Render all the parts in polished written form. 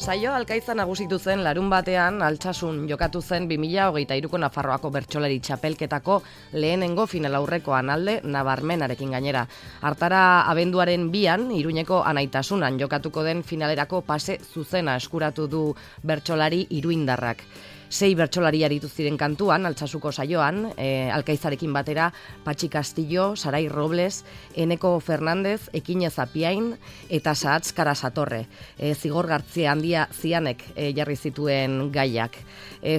Saio Alkaiza nagusitu zen larun batean Altsasun jokatu zen 2023ko Nafarroako bertsolari txapelketako lehenengo finalaurrekoan alde nabarmenarekin gainera. Hartara abenduaren 2an Iruñeko Anaitasunan jokatuko den finalerako pase zuzena eskuratu du bertsolari iruindarrak. 6 bertsolari aritu ziren kantuan, Altsasuko saioan, Alkaizarekin batera, Patxi Castillo, Sarai Robles, Eneko Fernandez, Ekinez Apiain, eta Sahatz Karasatorre. Zigor Gartzia handia zianek jarri zituen gaiak.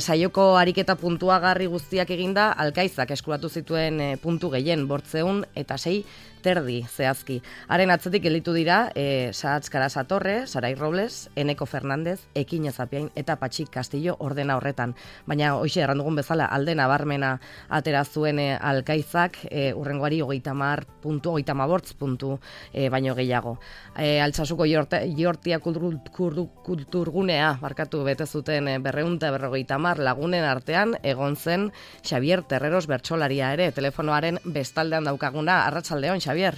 Saioko ariketa puntuagarri guztiak eginda, Alkaizak eskuratu zituen puntu gehien 806 terdi zehazki. Haren atzetik gelditu dira Sahatz Karasatorre, Sarai Robles, Eneko Fernandez, Ekinez Apiain eta Patxi Castillo ordena horretan. Baina hoxe errandugun bezala alde nabarmena atera zuen Alkaizak urrengoari 30 puntu, 38 puntu baino gehiago. Altsasuko Jortia kulturgunea bete zuten 250 lagunen artean egon zen Xavier Terreros bertsolaria ere, telefonoaren bestaldean daukaguna. Arratsaldeon, Xavier.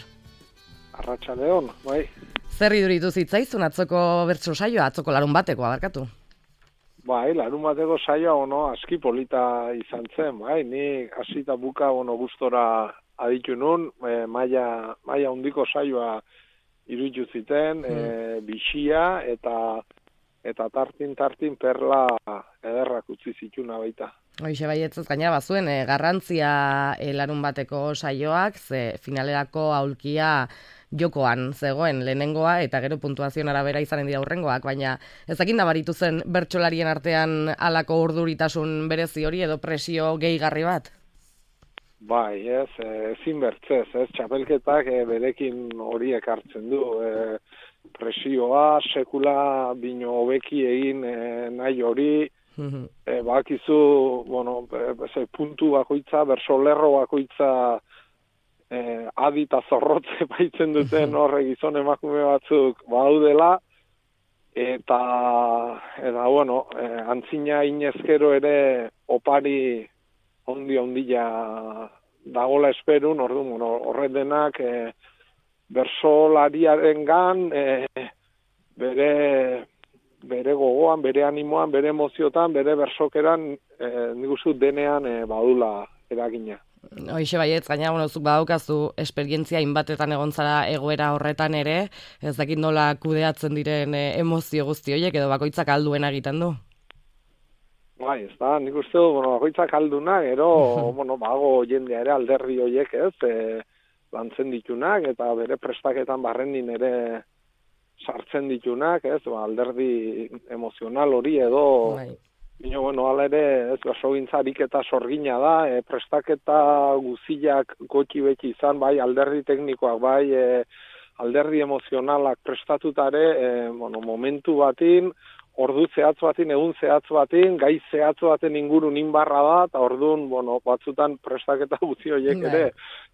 Arratsaldeon, bai. Zer iduritu zitzaizun atzoko bertso saioa, atzoko larun batekoa, barkatu? Bai, larun bateko saioa, aski polita izan zen, bai, ni hasita buka, gustora aditu nun, maila handiko saioa iruditu ziten, bixia eta tartin perla ederrak utzi zituna baita. Hoixe baietzez gaina bazuen, garrantzia larun bateko saioak, ze finalerako aulkia jokoan zegoen lehenengoa eta gero puntuazioen arabera izanen dira hurrengoak, baina ezakin nabaritu zen bertsolarien artean halako urduritasun berezi hori edo presio gehigarri bat? Bai, ezin bertzez, txapelketak berekin horiek hartzen du, presioa, sekula bino hobeki egin nahi hori, bakizu, puntu bakoitza, bersolerro bakoitza adi eta zorrotze baitzen duten horre gizon emakume batzuk baudela, eta antzina inezkero ere opari ondia dagola esperun, orduan, horret denak bersolariaren gan, bere gogoan, bere animoan, bere emoziotan, bere bersokeran, nik uste denean badula eragina. Hoixe baietz, gaina, zuk badaukazu esperientzia inbatetan egon zara egoera horretan ere, ez dakit nola kudeatzen diren emozio guzti horiek edo bakoitzak alduena egiten du? Bai, ez da, nik uste du, bakoitzak alduna, gero, bago jendea ere alderdi horiek, lantzen ditunak, eta bere prestaketan barrenin ere sartzen ditunak, alderdi emozional hori edo, hala ere, basogintza ariketa sorgina da, prestaketa guziak gotxi beti izan, bai alderdi teknikoak, bai alderdi emozionalak prestatutare, momentu batin, ordu zehatz batin, egun zehatz batin, gai zehatz baten ingurun inbarra da, eta orduan, batzutan prestaketa guzi horiek ere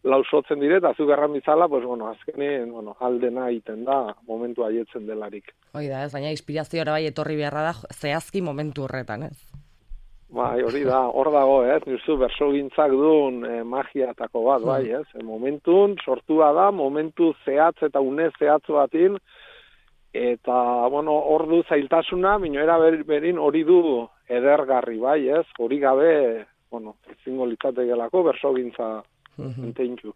lausotzen dire, eta zuk erran bizala, azkenean, aldena egiten da, momentu haietzen delarik. Hoi da, baina inspirazioa bai etorri beharra da, zehazki momentu horretan, ez? Bai, hori da, hor dago, nizu bersogintzak duen magiatako bat, bai, momentun, sortua da, momentu zehatz eta une zehatz batin, eta, hor du zailtasuna, era berin hori du edergarri, bai, hori gabe, ezingo litzatekelako bersogintza enteintzu.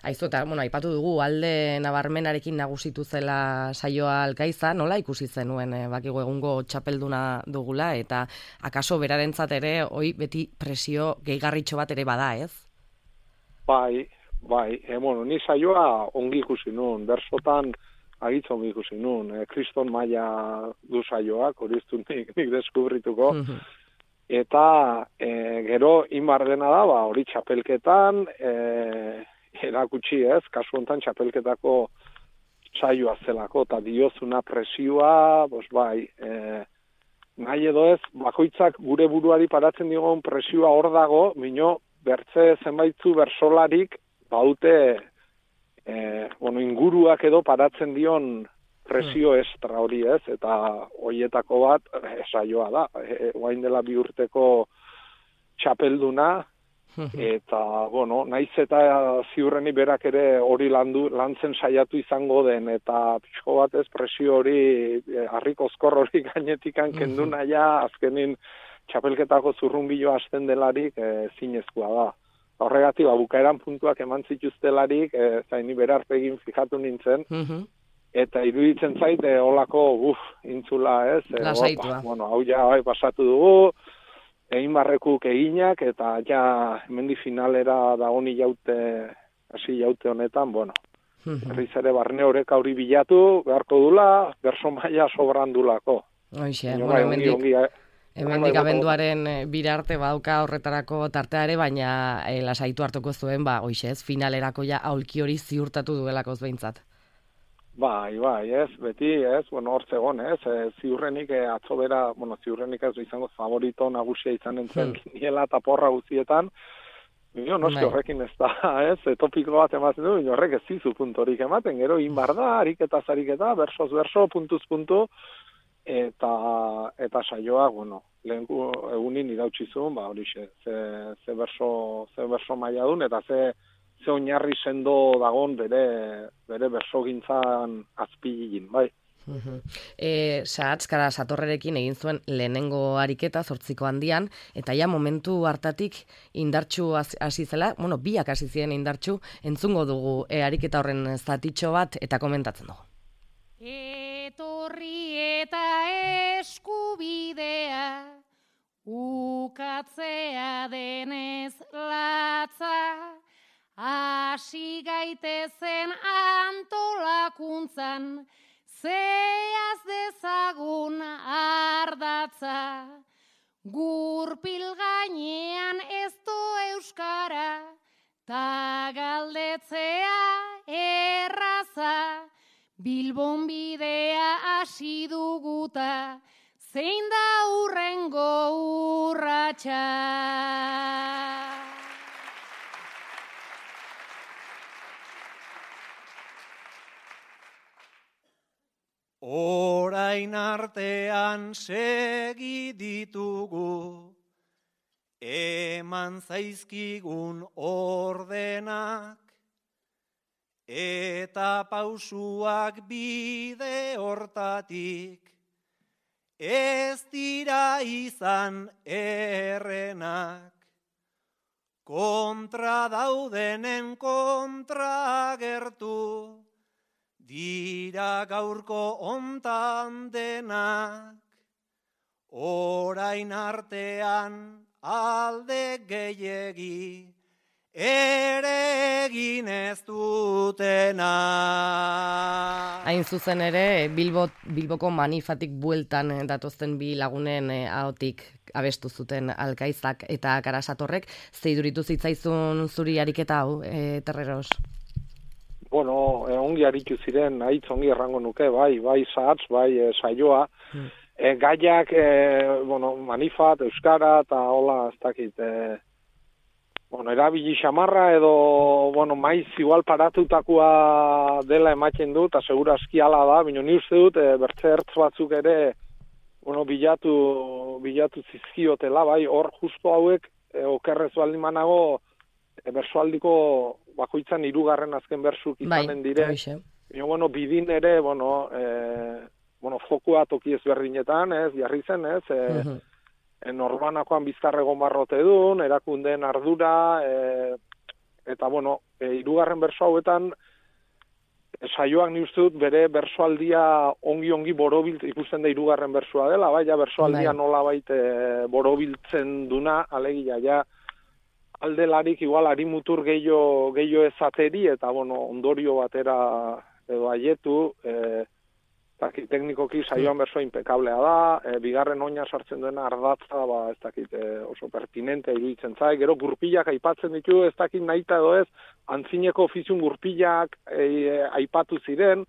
Aizu, eta, aipatu dugu, alde nabarmenarekin nagusitu zela saioa Alkaiza, nola ikusi zenuen, bakigu egungo txapelduna dugula, eta akaso berarentzat ere, hoi beti presio gehigarritxo bat ere bada, ez? Bai, ni saioa ongi ikusi nuen, bersotan agitza ongi ikusi nuen, kriston maila du saioak, hori iztu nik deskubrituko, eta gero inbar dena da, hori txapelketan, erakutsi kasu honetan txapelketako saioa zelako, eta diozuna presioa, nahi edo ez, bakoitzak gure buruari paratzen digon presioa hor dago, bertze zenbaitzu bersolarik, baute, inguruak edo paratzen dion presio estra hori eta horietako bat saioa da. Oain dela 2 urteko txapelduna, Eta, bueno, naiz eta ziurreni berak ere hori lantzen saiatu izango den, eta pixko batez presio hori, harrik ozkor hori gainetikan kendu naia, azkenin txapelketako zurrunbilo hasten delarik zinezkoa da. Horregatik, bukaeran puntuak eman zituztelarik, zaini berarpegin fijatu nintzen, eta iruditzen zait, olako, intzula ez, lasaitua. Bueno, hau ja pasatu dugu, egin barrekuk eginak, eta ja hemendi finalera da honi hasi jaute honetan, bueno, berriz ere barne horrek hori bilatu, beharko dula, berso maila sobrandulako. Hoxe, bueno, hemendik abenduaren birarte badauka horretarako tarteare, baina lasaitu hartuko zuen, hoxe ez, finalerako ja aulki hori ziurtatu duelakoz behintzat. Bai, ez, beti, ez, bueno, hor zegoen, ez, ziurrenik atzo bera, bueno, ziurrenik ez izango favorito nagusia izan entzen niela eta porra guztietan, noski horrekin ez da, ez, topiko bat ematen du, horrek ez zizu puntorik ematen, gero inbar da, ariketa, bersoz berso, puntuz puntu, eta saioak, bueno, lehen egunin irautsi zuen, horixe, ze berso maila dun, eta ze oinarri sendo dagon bere bersogintzan azpilin, bai. Sahatzkara Satorrerekin egin zuen lehenengo ariketa 8ko handian, eta ja momentu hartatik indartsu hasi zela, bueno, biak hasi ziren indartsu, entzungo dugu ariketa horren zatitxo bat eta komentatzen dugu. Etorri eta eskubidea, ukatzea denez latza, hasi gaitezen antolakuntzan, zeaz dezagun ardatza. Gurpil gainean ez do euskara, ta galdetzea erraza. Bilbon bidea hasi duguta, zein da hurrengo urratsa. Orain artean segi ditugu, eman zaizkigun ordenak, eta pausuak bide hortatik, ez dira izan errenak. Kontra daudenen kontra agertu, dira gaurko hontan denak, orain artean alde gehiegi, ere egin ez dutena. Hain zuzen ere, Bilboko manifatik bueltan datozten bi lagunen ahotik abestu zuten Alkaizak eta Karasatorrek, zeiduritu zitzaizun zuri ariketa hau, Terreros? Bueno, ongi aritu ziren, haitz ongi errango nuke, bai sahatz, bai saioa. Gaiak, manifat, euskara, eta hola, ez dakit, erabili xamarra edo, maiz igual paratutakoa dela ematen du, eta segura aski ala da, baina ni uste dut, bertze ertz batzuk ere, bilatu zizkiotela, bai, hor justo hauek, okerrez baldin manago, bersoaldiko bakoitzan 3. azken bersuk izanen dire. Bidin ere, fokua toki ezberdinetan, ez, jarri zen, ez, norbanakoan bizkarrego marrote dun, erakundeen ardura, eta, 3. berso hauetan, saioak ni uste dut bere bersoaldia ongi borobilt ikusten da 3. bersoa dela, ja bersoaldia nola baita borobiltzen duna, alegia, ja, aldelarik igual harimutur gehiago ezateri, eta ondorio batera edo aietu, teknikoki saioan bersoa impekablea da, bigarren oina sartzen duena ardatza, ez dakit oso pertinente iruditzen zai, gero gurpilak aipatzen ditu, ez dakit nahita edo ez, antzineko ofiziun gurpilak aipatu ziren,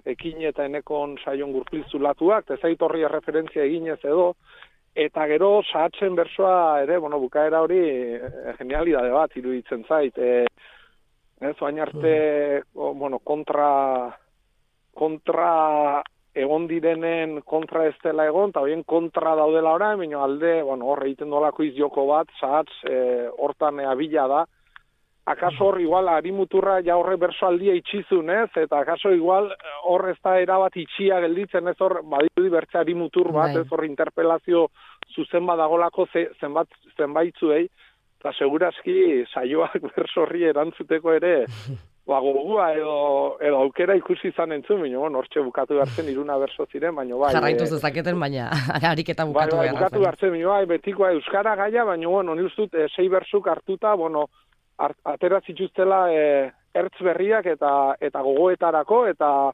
ekin eta enekon saion gurpil zulatuak, ez zait horri referentzia eginez edo, eta gero sahatzen bersoa ere, bukaera hori genialidade bat iruditzen zait. Oain arte, kontra egon direnen kontra ez dela egon, eta horien kontra daudela orain, baina alde, bueno, hor egiten dolako izjoko bat, sahatz, hortan abila da. Akaso hor igual harimuturra ja horre bersoaldia itxizun, ez? Eta akaso igual hor ez da erabat itxia gelditzen, ez hor badirudi bertze harimutur bat, ez hor interpelazio zuzen badagolako zenbaitzuei, eta segurazki saioak berso horri erantzuteko ere gogua edo aukera ikusi izan entzun, baina hortxe bukatu behartzen iruna berso ziren, baina bai. Jarraitu zezaketen, baina ariketa bukatu behartzen. Bukatu behartzen, baina bai, betikoa euskara gaia, baina bueno, ni ustut 6 bersuk hartuta, bueno, atera zituztela ertz berriak eta gogoetarako, eta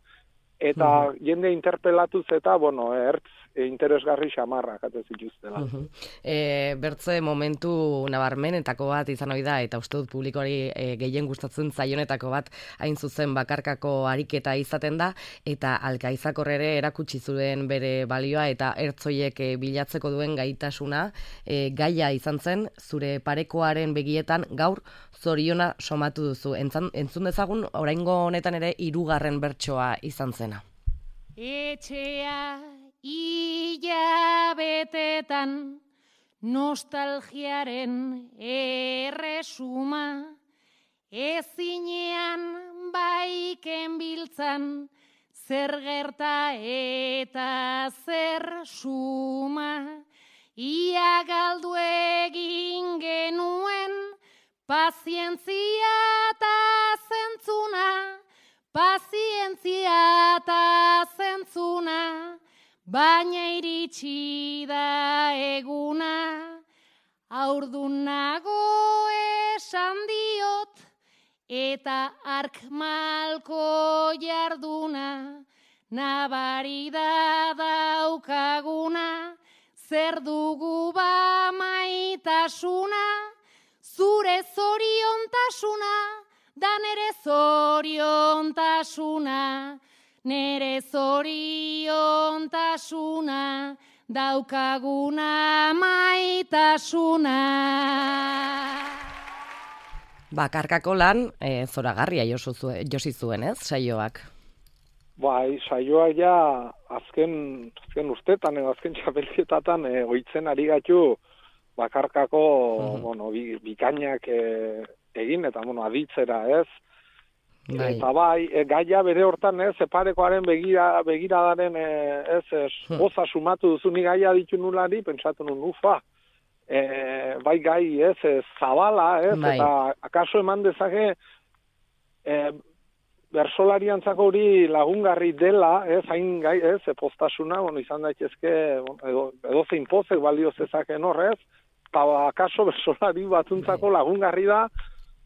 jende interpelatuz eta, bueno, ertz interesgarri xamarrak ate zituztela. Bertze momentu nabarmenetako bat izan ohi da, eta uste dut publikoari gehien gustatzen zaionetako bat hain zuzen bakarkako ariketa izaten da, eta Alkaizak ere erakutsi zuen bere balioa eta ertzoiek bilatzeko duen gaitasuna, gaia izan zen, zure parekoaren begietan gaur zoriona somatu duzu. Entzun dezagun, oraingo honetan ere 3. bertsoa izan zena. Etxea hilabetetan nostalgiaren erresuma, ezinean baiken biltzan, zer gerta eta zer suma, ia galdu egin genuen, pazientzia eta zentzuna, pazientzia eta zentzuna, baina iritsi da eguna, haurdun nago esan diot, eta ark malko jarduna, nabari da daukaguna, zer dugu ba maitasuna, zure zoriontasuna, da nere zoriontasuna, nere zoriontasuna, daukaguna maitasuna. Bakarkako lan zoragarria josi zuen, ez, saioak? Bai, saioak ja azken urtetan edo azken txapelketatan ohitzen ari gaitu bakarkako bueno, bikainak egin eta bueno, aditzera, ez? Bai. Eta bai, gaia bere hortan, ez, parekoaren begiradaren goza sumatu duzu, ni gaia ditu nulari, pentsatu nun, ufa, bai gai, ez, zabala, ez, bai. Eta akaso eman dezake bersolariantzako hori lagungarri dela, ez, hain gai, ez, postasuna, bueno, izan daitezke, edo zein pozek balio zezaken horrez, eta akaso bersolari batzuntzako lagungarri da,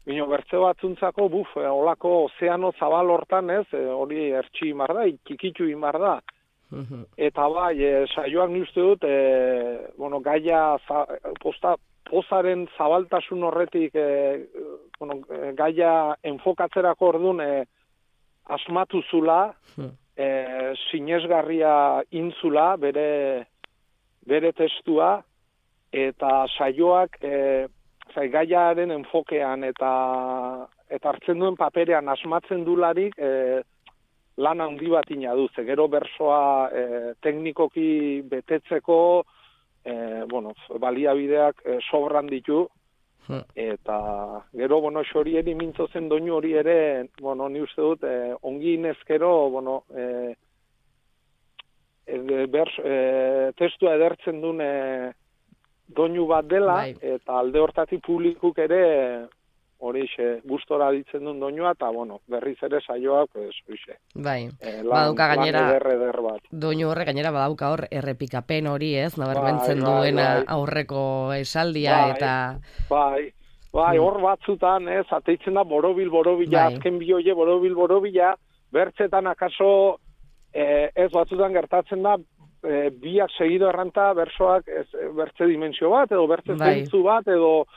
bino bertze batzuntzako, olako ozeano zabal hortan, ez, hori ertsi imar da, ikikitu imar da. Eta bai, saioak uste dut, bueno, gaia pozaren zabaltasun horretik, bueno, gaia enfokatzerako orduan asmatu zula, sinesgarria intzula, bere testua, eta saioak gaiaren enfokean eta hartzen duen paperean asmatzen dularik lan handi bat inadu. Gero bersoa teknikoki betetzeko bueno, baliabideak sobran ditu, eta gero, bueno, xorieri mintzo zen doinu hori ere, bueno, ni uste dut, ongi inezkero, bueno, testua edertzen duen doinu bat dela, bai. Eta alde hortatik publikuk ere horixe gustora ditzen duen doinua, eta bueno, berriz ere saioak horixe. Bai, baduka gainera, eder bat. Doinu horre gainera badauka hor errepikapen hori, ez, nabarmentzen duena aurreko esaldia, eta... Bai, hor batzutan, ez, ateitzen da borobila, azken bioie borobila, bertzetan akaso, ez batzutan gertatzen da, biak segido erranta bersoak bertze dimensio bat, edo bertze zentzu bat, edo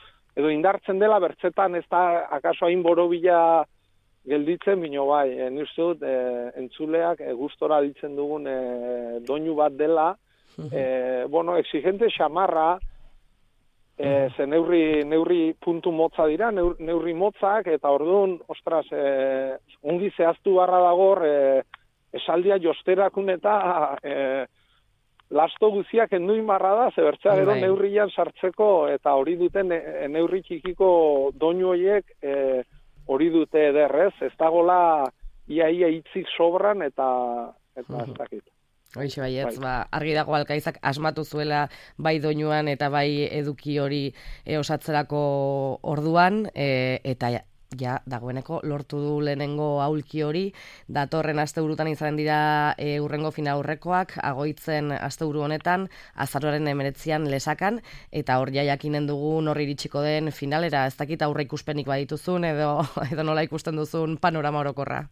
indartzen dela bertzetan ez da akaso hain borobila gelditzen, bino bai, ni uste dut entzuleak gustora ditzen dugun doinu bat dela, bueno, exigente xamarra, ze neurri puntu motza dira, neurri motzak, eta orduan, ostras, ongi zehaztu barra dagor, esaldia josterakun eta lasto guziak enduin marra da, zebertzea gero neurrian sartzeko, eta hori duten neurri txikiko doinu horiek hori dute ederrez, ez dagola ia hitzik sobran eta ez dakit. Hoixe baietz, argi dago Alkaizak asmatu zuela bai doinuan eta bai eduki hori osatzerako orduan, eta ja, dagoeneko lortu du lehenengo aulki hori, datorren asteburutan izanen dira urrengo finaurrekoak, Agoitzen asteburu honetan, azaroaren 19an Lesakan, eta hor ja jakinen dugu norri iritsiko den finalera, ez dakit aurre ikuspenik badituzun, edo nola ikusten duzun panorama orokorra.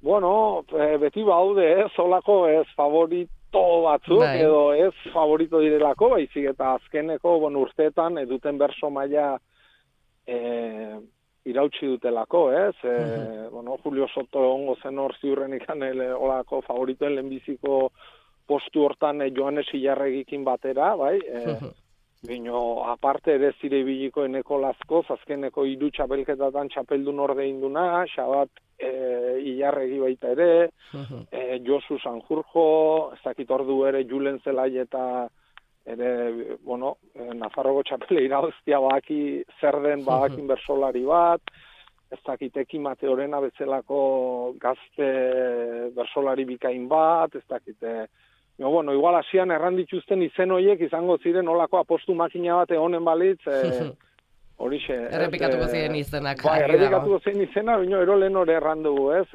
Bueno, beti baude, zolako ez favorito batzuk, edo ez favorito direlako, baizik eta azkeneko urteetan eduten berso maila irautsi dutelako, ez? Julio Soto ongo zen hor ziurren ikan olako favoritoen lehenbiziko postu hortan Joanes Ilarregikin batera, bai? Bino, aparte ere zire ibiliko eneko lazkoz, azkeneko 3 txapelketatan txapeldun ordein duna, Xabat Ilarregi baita ere, Josu Sanjurjo, ez dakit ordu ere Julen Zelai eta ere, Nafarroko txapele irauztia baki zer den badakin bersolari bat, ez dakit Eki Mateorena bezalako gazte bersolari bikain bat, ez dakit, igual hasian errandituzten izen horiek izango ziren olako apostu makina bat egonen balitz, horixe. Errepikatuko ziren izenak. Errepikatuko ziren izena, baina ero lehen hori errandugu, ez,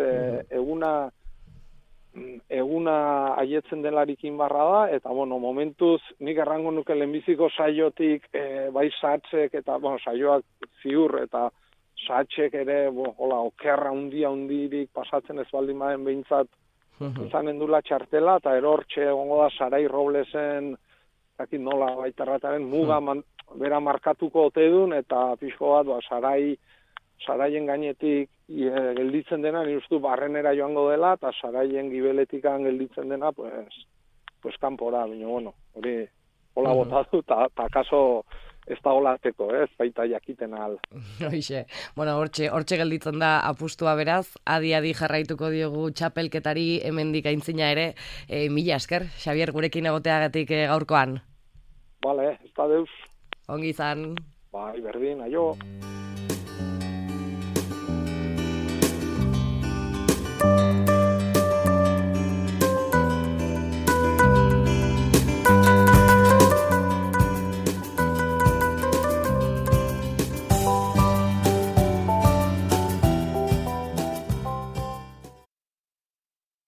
eguna aietzen delarikin barra da, eta momentuz nik errango nuke lehenbiziko saiotik bai satsek eta saioak ziur eta satsek ere okerra hundirik pasatzen ez baldin baden behintzat izanen dula txartela, eta erortxe egongo da Sarai Roblesen dakit nola baitarrataren muga bera markatuko ote dun, eta pixko bat Saraien gainetik gelditzen dena, ni uste barrenera joango dela, eta Saraien gibeletikan gelditzen dena, pues kanpora, baina, hori hola botatu, eta kaso ez da holateko, ez baita jakiten ahal. Hoixe, hortxe gelditzen da apustua beraz, adi jarraituko diogu txapelketari hemendik aintzina ere, mila esker, Xabier, gurekin egoteagatik gaurkoan. Bale, ez da deus. Ongi izan. Bai, berdin, aio.